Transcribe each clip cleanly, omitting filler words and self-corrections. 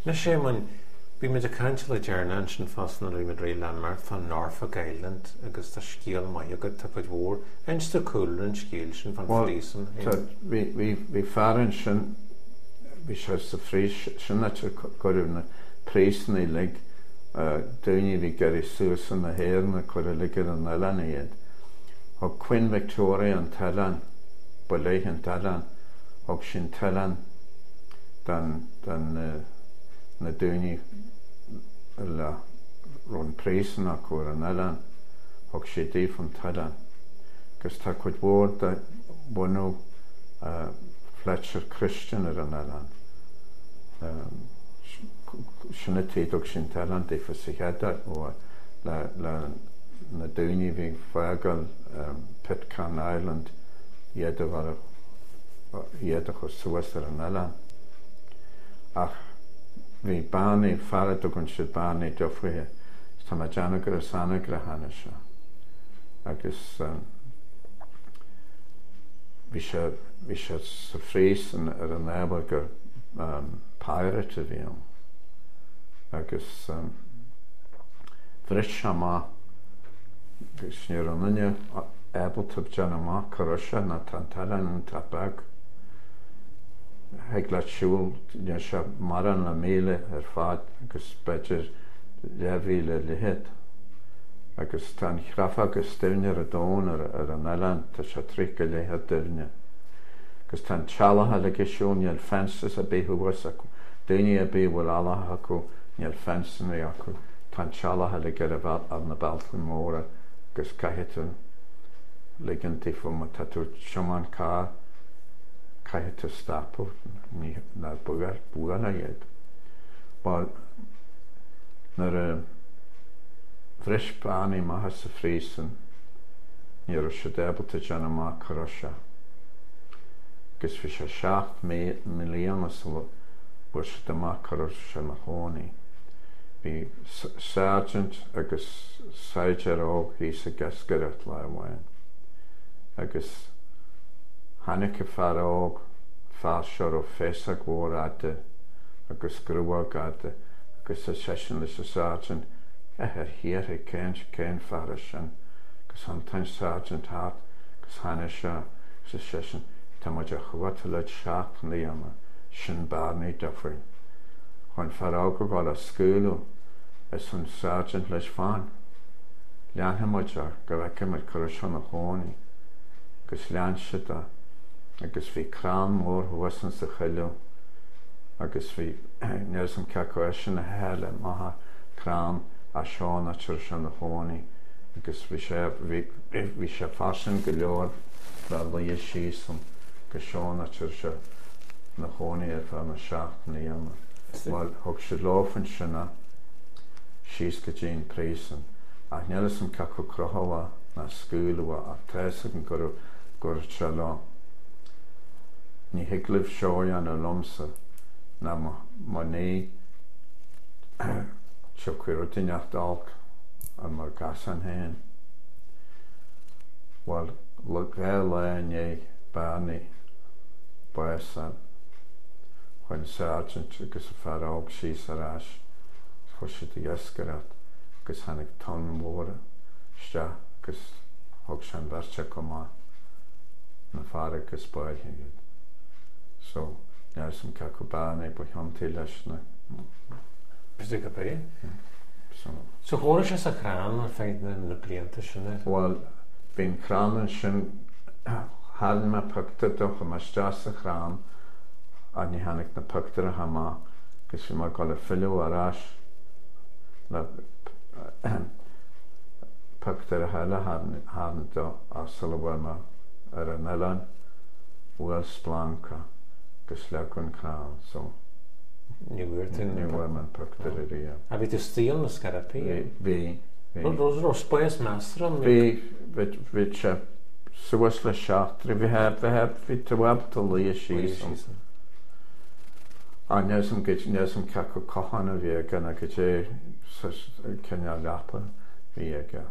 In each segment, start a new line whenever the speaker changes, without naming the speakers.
Anois Éamoinn, bhí muid ag caint le deireanas ansin fosta nuair a bhí muid réidh le imeacht fá Norfolk Island agus tá scéal maith agat, tá cuid mhór. Inis domh cúlra an scéil sin fán phríosún.
Bhuel, bhí, bhí, bhí fear ansin, bhí sé sa phríosún, sin áit ar cuireadh na príosúnaigh uilig, daoine a bhí ag iarraidh suas chun na hÉireann a cuireadh uilig ar an oileán iad. Thug Queen Victoria an t-oileán, ba léi an t-oileán, thug sí an t-oileán don, don na daoine a raibh an príosún acu ar an oileán, thug sí daofa an t-oileán. Agus tá cuid mhór de bhunadh Fletcher Christian ar an oileán. Sin an tuige a dtug sí an t-oileán daofa sa chéad uair, le, le na daoine a bhí ag fágáil Pitcairn Island iad a chur, iad a chur suas ar an oileán. Ach bhí Barney, fear a dtugann siad Barney Duffy air, tá mé ag déanamh gur as Anagaire a tháinig sé. Agus bhí sé, bhí sé sa phríosún ar an ábhar gur pirate a bhí ann. Agus bhris sé amach agus ní raibh aon duine ábalta déanamh amach cá raibh sé nó tá an t-oileán iontach beag. Thig leat siúl, níl sé mórán le míle ar fad agus b'fhéidir leathmhíle leithead. Agus tá an chreafóg is doimhne ar an domhan ar an oileán, tá sé 30 leithead doimhne. Agus tá an teallach uilig ag siúl, níl fences ar bith thuas acu. Daoine ar bith a bhfuil eallach acu, níl fenceanna acu. Tá an teallach uilig ar ar na bealtaí móra agus caithfidh tú ligean daofa má tá tú ag tiomáint carr, caithfidh tú stopadh, ní ná buail, bualadh iad. Bhuel, nuair a bhris Barney amach as an phríosún, ní raibh siad ábalta déanamh amach cá raibh sé. Agus bhí sé 7 mbliana sula bhfuair siad amach cá raibh sé ina chónaí. Bhí sergeant agus saighdiúir óg thíos ag iascaireacht lá amháin agus tháinig an fear óg, fear seo a raibh féasóg mhór fhada agus gruag fhada agus ar seisean leis an sergeant, A thiarna, cén, cén fear é sin? Agus thiontaigh an sergeant thart agus tháinig sé agus ar seisean, Tá muid á chuartú le 7 mbliana, sin Barney Duffy. Chuaigh an fear óg ag dul á scaoileadh, arsa an sergeant leis, Fan, leanfaidh muid é go bhfeicfidh muid cá raibh sé ina chónaí. Agus lean siad é agus bhí crann mór thuas insa choilleadh agus bhí, níl 'fhios a'm cé acu eisean a theith amach an crann as seo an áit a raibh sé ina chónaí agus bhí sé, bhí, bhí sé fairsing go leor le luí síos ann agus seo an áit a raibh sé ina chónaí ar feadh na 7 mbliana. Bhuel, thug siad leofa ansin é síos go dtí an príosún ach níl 'fhios a'm cé acu crochadh é ná scaoileadh é ach tá 'fhios agam go raibh, dúirt sé leo, Ní thig libh seo a dhéanamh liomsa ná má ní tiocfaidh rud inteacht olc ar mo ghasán féin. Bhuel, 2 lá i ndiaidh Barney bás a fháil, chuaigh an sergeant agus an fear óg síos ar ais agus chuaigh siad ag iascaireacht agus tháinig tonn mhór isteach agus thug sé an bheirt acu amach na farraige agus báitheadh iad. So, níl 'fhios a'm cé acu Barney ba chiontaí leis na.
B'fhéidir gurb é. So. So chónaigh sé sa chrann ar feadh na blianta sin ar.
Bhuel, bhí an crann ansin, tharraing mé pictiúr de, chuaigh mé isteach sa chrann ach ní tháinig na pictiúracha amach agus bhí mé ag dul ag filleadh ar ais le pictiúracha eile a tharraingt de ach sula bhfuair mé ar an oileán bhuail splancach agus leag an crann so.
Ní bhfuair tú
Ní bhfuair mé an pictiúr ariamh.
Ah bhí tú istigh ann ar scor ar bith?
Bhí, bhí, bhí.
Raibh raibh spás measartha ann?
Bhí, bhí, bhí sé suas le seachtar, bhí, bhí, bhí tú ábalta luí síos ann. Ah níl 'fhios a'm goid, níl 'fhios a'm cé acu cochán a bhí aige nó goidé cineál leapa a bhí aige.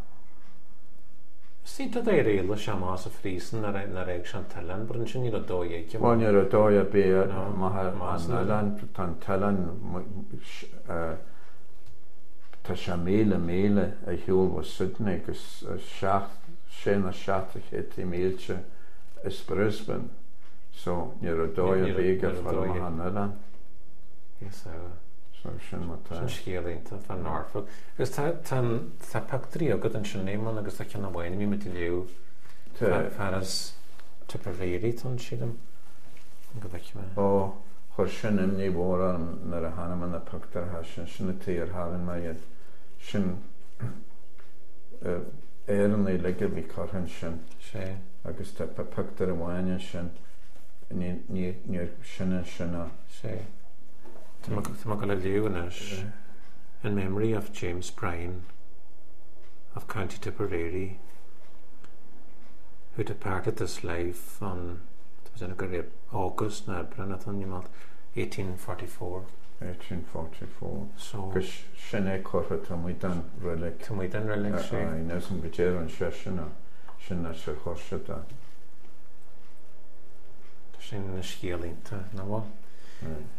Sea, tá d'éirigh leis amach as an phríosún nuair a fhág sé an t-oileán, but ansin ní raibh dóigh aige.
Bhuel, ní raibh dóigh ar bith amach ar an oileán, tá an t-oileán, tá sé míle míle ar shiúl ó Sydney agus seacht, sé nó seacht de chéadtaí mílte as Brisbane, so ní raibh dóigh ar bith aige fáil amach an oileán.
Yes,
So sin mar tá.
Sin scéal iontach fá Norfolk. Agus tá, tá, tá pictiúirí agat ansin, Éamonn, agus tá ceann amháin a bhí muid ag léamh.
Tá.
Fear as Tipperary atá ann, sílim. Go bhfeicfidh mé.
Ó, chuir sin imní mhór orm nuair a chonaic mé na pictiúrtha sin, sin an tuige ar tharraing mé iad. Sin Éireannaigh uilig a bhí curtha ansin.
Sea.
Agus tá pictiúr amháin ansin, ní, ní, níor, sin ansin a.
Sea. Tá mé ag dul a léamh anois. In memory of James Bryan of County Tipperary who departed this life on tá mé ag déanamh gur August nó Aibreán atá ann, 1844.
1844.
So.
Agus sin é curtha taobh amuigh den reilig.
Taobh amuigh den reilig, sea.
Aye, níl 'fhios a'm goidé a rinne seisean ach sin áit ar chuir siad é.
Tá sin ina scéal iontach, nach bhfuil?